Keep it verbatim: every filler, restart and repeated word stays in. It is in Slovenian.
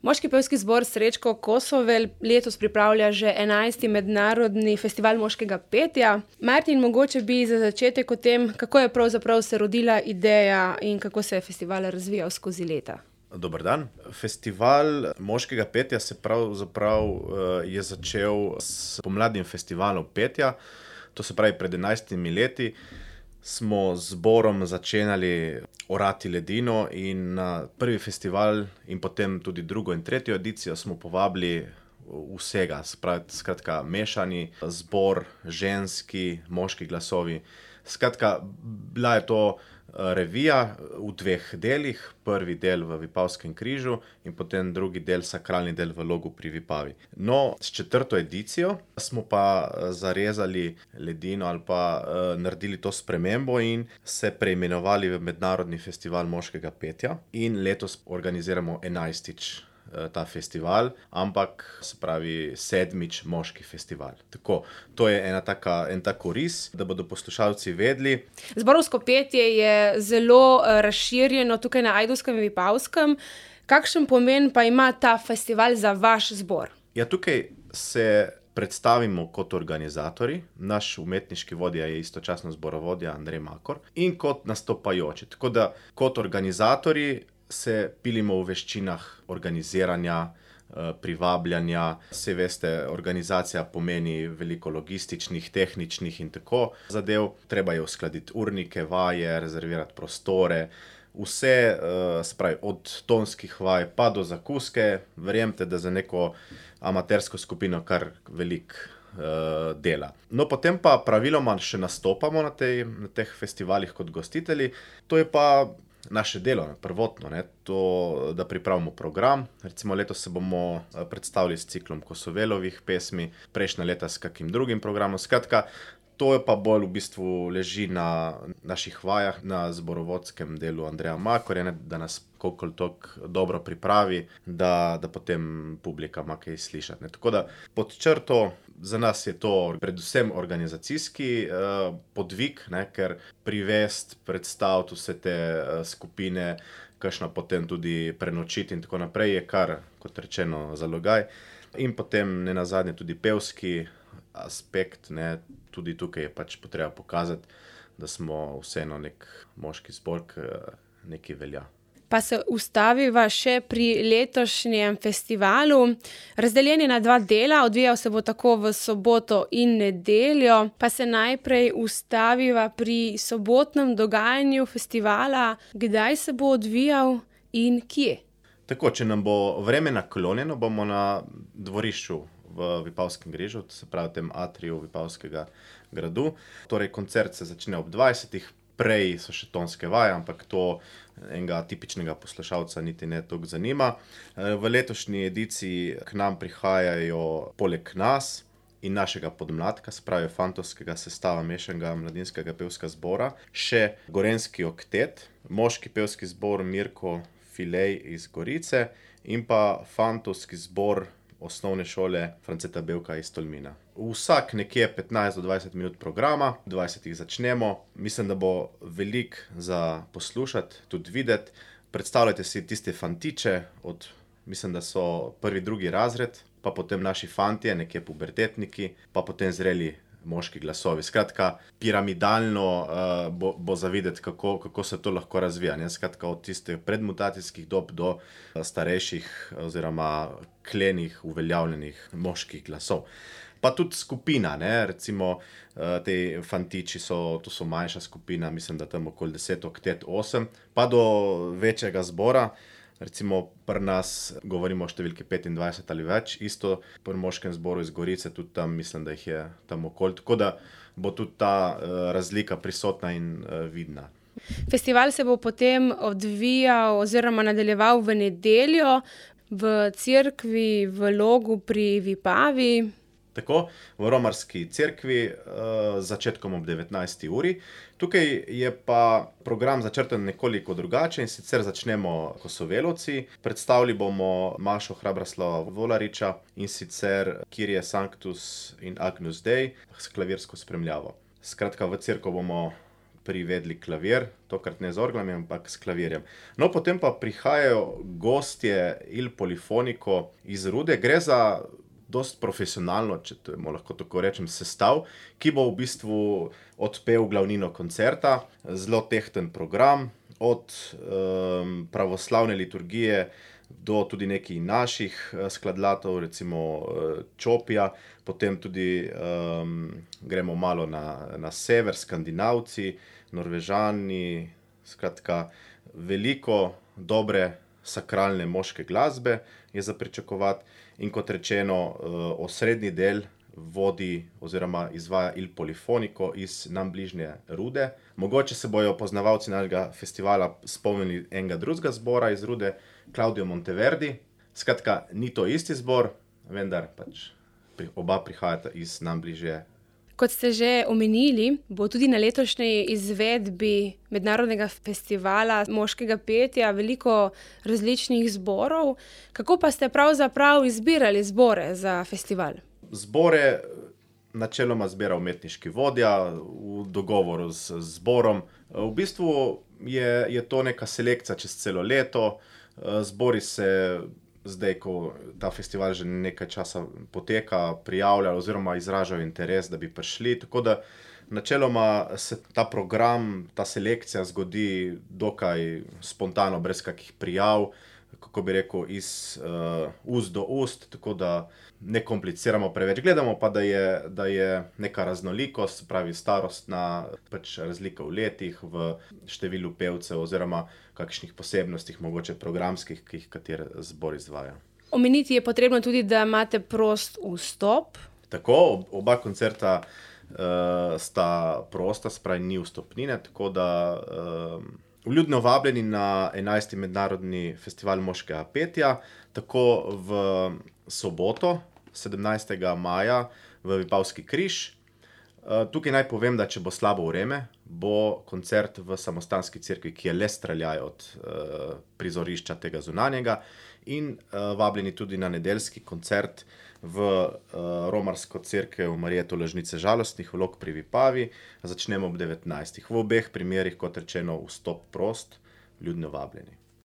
Moški pevski zbor Srečko Kosovel letos pripravlja že enajsti mednarodni festival moškega petja. Martin, mogoče bi za začetek o tem, kako je pravzaprav se rodila ideja in kako se je festival razvijal skozi leta. Dober dan. Festival moškega petja se pravzaprav je začel s pomladnim festivalom petja. To se pravi, pred enajstimi leti smo z zborom začenjali orati ledino in na prvi festival in potem tudi drugo in tretjo edicijo smo povabili vsega, skratka mešani zbor, ženski, moški glasovi. Skratka, bila je to revija v dveh delih, prvi del v Vipavskem križu in potem drugi del, sakralni del v Logu pri Vipavi. No, s četrto edicijo smo pa zarezali ledino ali pa uh, naredili to spremembo in se preimenovali v Mednarodni festival moškega petja in letos organiziramo enajstič ta festival, ampak se pravi sedmič moški festival. Tako, to je ena taka, en tak oris, da bodo poslušalci vedeli. Zborovsko petje je zelo razširjeno tukaj na Ajdovskem in Vipavskem. Kakšen pomen pa ima ta festival za vaš zbor? Ja, tukaj se predstavimo kot organizatorji, naš umetniški vodja je istočasno zborovodja Andrej Makor in kot nastopajoči. Tako da kot organizatorji se pilimo v veščinah organiziranja, privabljanja. Saj veste, organizacija pomeni veliko logističnih, tehničnih in tako zadev. Treba je uskladiti urnike, vaje, rezervirati prostore. Vse, se pravi, od tonskih vaj pa do zakuske. Verjemite, da za neko amatersko skupino kar veliko dela. No, potem pa praviloma še nastopamo na, tej, na teh festivalih kot gostitelji. To je pa naše delo, prvotno, ne, to, da pripravimo program. Recimo letos se bomo predstavili s ciklom Kosovelovih pesmi, prejšnja leta s kakim drugim programom. Skratka, to je pa bolj v bistvu leži na naših vajah, na zborovodskem delu Andreja Makorja, ne, da nas koliko toliko dobro pripravi, da, da potem publika ima kaj slišati. Ne. Tako da pod črto za nas je to predvsem organizacijski uh, podvig, ne, ker privest, predstaviti vse te uh, skupine, kakšno potem tudi prenočiti in tako naprej je kar, kot rečeno, zalogaj. In potem nenazadnje tudi pevski aspekt, ne, tudi tukaj je pač potreba pokazati, da smo vseeno nek moški zbor, ki nekaj velja. Pa se ustaviva še pri letošnjem festivalu. Razdeljen je na dva dela, odvijal se bo tako v soboto in nedeljo. Pa se najprej ustaviva pri sobotnem dogajanju festivala. Kdaj se bo odvijal in kje? Tako, če nam bo vreme naklonjeno, bomo na dvorišču v Vipavskem križu, se pravi v tem atriju Vipavskega gradu. Torej, koncert se začne ob dvajsetih. Prej so še tonske vaje, ampak to enega tipičnega poslušalca niti ne toliko zanima. V letošnji ediciji k nam prihajajo poleg nas in našega podmladka, se pravi fantovskega sestava mešanega mladinskega pevskega zbora, še gorenjski oktet, moški pevski zbor Mirko Filej iz Gorice in pa fantovski zbor osnovne šole Franceta Bevka iz Tolmina. Vsak nekje petnajst do dvajset minut programa, dvajsetih začnemo. Mislim, da bo veliko za poslušati, tudi videti. Predstavljajte si tiste fantiče, od, mislim, da so prvi, drugi razred, pa potem naši fantje, nekje pubertetniki, pa potem zreli moški glasovi. Skratka, piramidalno uh, bo, bo za videti, kako, kako se to lahko razvija. Ne? Skratka, od tistih predmutacijskih dob do starejših oziroma klenih, uveljavljenih moških glasov. Pa tudi skupina, ne, recimo te fantiči so, to so manjša skupina, mislim, da tam okoli deset, oktet, osem, pa do večjega zbora, recimo pri nas govorimo o številki petindvajset ali več, isto pri moškem zboru iz Gorice, tudi tam mislim, da jih je tam okoli, tako da bo tudi ta uh, razlika prisotna in uh, vidna. Festival se bo potem odvijal oziroma nadaljeval v nedeljo v cerkvi v Logu pri Vipavi. Tako, v romarski cerkvi, uh, začetkom ob devetnajsti uri. Tukaj je pa program začrtan nekoliko drugače in sicer začnemo Kosovelovci. Predstavili bomo Mašo Hrabraslava Volariča in sicer Kyrie Sanctus in Agnus Dei s klavirsko spremljavo. Skratka, v cerkev bomo privedli klavir, tokrat ne z orglami, ampak s klavirjem. No, potem pa prihajajo gostje Il Polifonico iz Rude. Gre za dosti profesionalno, če to lahko tako rečem, sestav, ki bo v bistvu odpel glavnino koncerta. Zelo tehten program, od um, pravoslavne liturgije do tudi nekih naših skladlatov, recimo Čopija, potem tudi um, gremo malo na, na sever, Skandinavci, Norvežani, skratka, veliko dobre sakralne moške glasbe je za pričakovati. In kot rečeno, osrednji del vodi oziroma izvaja Il Polifonico iz nam bližnje Rude. Mogoče se bojo poznavalci našega festivala spomnili enega drugega zbora iz Rude, Claudio Monteverdi. Skratka, ni to isti zbor, vendar pač oba prihajata iz nam bližje. Kot ste že omenili, bo tudi na letošnji izvedbi mednarodnega festivala moškega petja veliko različnih zborov. Kako pa ste pravzaprav izbirali zbore za festival? Zbore načeloma zbira umetniški vodja v dogovoru z zborom. V bistvu je, je to neka selekcija čez celo leto. Zbori se zdaj, ko ta festival že nekaj časa poteka, prijavljajo oziroma izražajo interes, da bi prišli. Tako da načeloma se ta program, ta selekcija zgodi dokaj spontano, brez kakih prijav, kako bi rekel, iz uh, ust do ust, tako da ne kompliciramo preveč. Gledamo pa, da je, da je neka raznolikost, pravi starostna, pač razlika v letih, v številu pevcev oziroma kakšnih posebnostih, mogoče programskih, ki jih kateri zbor izvaja. Omeniti je potrebno tudi, da imate prost vstop. Tako, oba koncerta uh, sta prosta, spravi ni vstopnine, tako da uh, vljudno vabljeni na enajsti mednarodni festival moškega petja, tako v soboto, sedemnajstega maja, v Vipavski križ. Tukaj naj povem, da če bo slabo vreme, bo koncert v samostanski cerkvi, ki je le streljaj od uh, prizorišča tega zunanjega, in uh, vabljeni tudi na nedeljski koncert v uh, romarsko cerkev Marije Tolažnice žalostnih vlog pri Vipavi. Začnemo ob devetnajstih. V obeh primerih, kot rečeno, vstop prost, vljudno vabljeni.